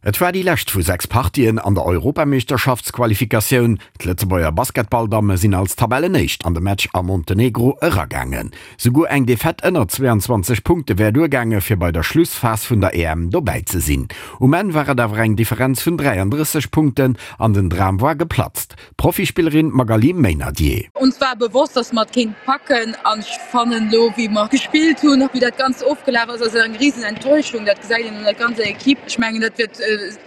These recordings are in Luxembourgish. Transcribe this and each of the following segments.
Et war déi lescht vu 6 Partien an der Europameeschterschaftsqualifikatioun. D'Lëtzebuerger Basketballdamme sinn als Tabellenéischt an de Match a Montenegro eragaangen. Souguer eng Defaite ënner 22 Punkte wär duergaange fir bei der Schlussphas vun der EM dobäi ze sinn. Um Enn war et awer eng Differenz vun 33 Punkten an den Dram war geplatzt. D'Profispillerin Magaly Meynadier. Uns war bewosst, dass mer et kéint packen an ech fannen elo wéi mer gespillt hunn, wéi dat Ganzt ofgelaf ass, ass et eng risen Enttäuschung. Dat gesäit een un der ganzer Equipe. Ech mengen dat wäert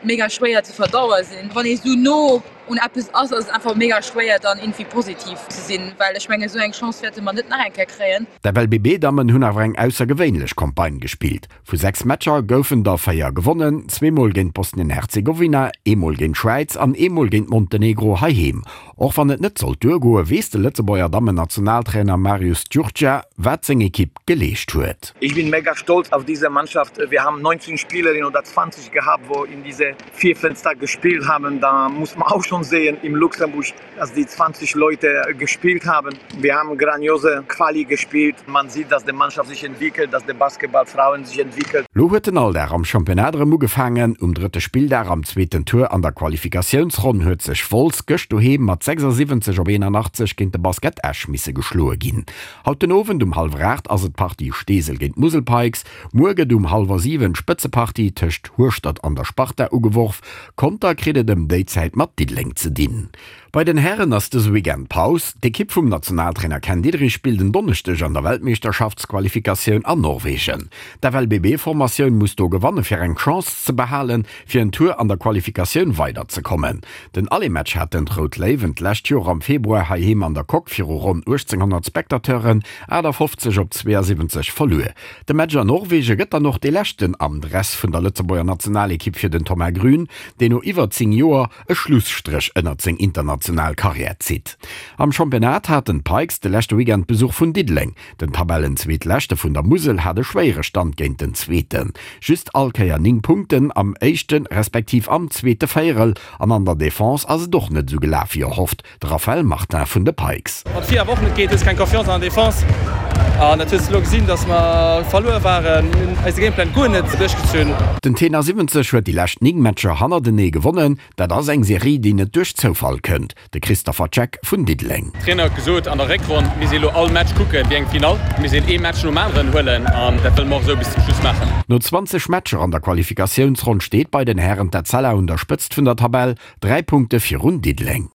mega schwéier ze verdaue sinn. Wann ee sou no un eppes ass, ass et einfach mega schwéier dann irgendwie positiv ze sinn, well ech mengen esou eng Chance wäerte mer net nach eng Kéier kréien. D'FLBB-Dammen hunn awer eng aussergewéinlech Campagne gespillt. Vu 6 Matcher goufen der 4 gewonnen, zweemol géint Bosnien-Herzegowina, eemol géint d'Schwäiz an eemol géint Montenegro heiheem. Och wann et net sollt duergoen, weess de Lëtzebuerger Dammen-Nationaltrainer Marius Djurdja, wat seng Ekipp geleescht huet. Ich bin mega stolz auf diese Mannschaft. Wir haben 19 Spielerinnen oder 20 gehabt, wo in diese vier Fenster gespielt haben. Da muss man auch schon sehen im Luxemburg dass die 20 Leute gespielt haben. Wir haben grandiose Quali gespielt. Man sieht, dass die Mannschaft sich entwickelt, dass die Basketballfrauen sich entwickelt. Lo huet den Alldag am Championnat erëm ugefaangen. Um drëtte Spilldag am zweeten Tour an der Qualifikatiounsronn huet sech Wolz gëscht doheem mat 76 op 81 géint de Basket Esch misse geschloe ginn. Haut den Owend um hallwer 8 ass et d'Partie Steesel géint Musel Pikes. Muer gëtt um hallwer 7 d'Spëtzepartie tëscht Hueschtert an der Sparta ugeworf. Conter kritt et ëm déi Zäit mat Diddeleng ze dinn. Bei den Hären ass dëse Weekend Paus. D'Ekipp vum Nationaltrainer Ken Diederich spillt en Donneschdeg an der Weltmeeschterschaftsqualifikatioun an Norwegen. D'FLBB-Formatioun muss do gewanne fir eng Chance ze behalen, fir en Tour an der Qualifikatioun weiderzekommen. Den Aller-Match haten d'Rout Léiwen d'lescht Joer am Februar heiheem an der Coque viru ronn 1.800 Spectateuren 58 op 72 verluer. De Match an Norwegen gëtt dann och dee leschten am Dress vun der Lëtzebuerger Nationalekipp fir den Thomas Grün, deen no iwwer 10 Joer e Schlusstréch ënnert seng international Karriär zitt. Am Championnat haten d'Pikes de leschte Weekend Besuch vun Diddeleng. Den Tabellenzweetleschte vun der Musel hat e schwéiere Stand géint den Zweeten. Just all Kéier 9 Punkten am éischte respektiv am zweete Véierel an an der Defense ass et och net esou gelaf wéi erhofft. De Raphaël Martin vun de Pikes. Wann et 4 Wochen net geet, hues keng Confiance an der Defense. An dat hues de elo gesinn, dass mer verluer waren. Mir hunn eise Gameplan guer net duerchgezunn. Den Tenor 70 huet déi lescht 9 Matcher hannertenee gewonnen. Dat ass eng Serie, déi net duerch Zoufall kënnt. De Christopher Check vun Diddeleng. Trainer huet gesot, an der Réckronn misst ee elo all Match kucken wéi eng Finall. Et misst een ee Match nom aneren huelen an dat wëlle mer och esou bis zum Schluss maachen. No 20 Matcher an der Qualifikatiounsronn steet bei den Hären d'Etzella un der Spëtzt vun der Tabell, 3 Punkte virun Diddeleng.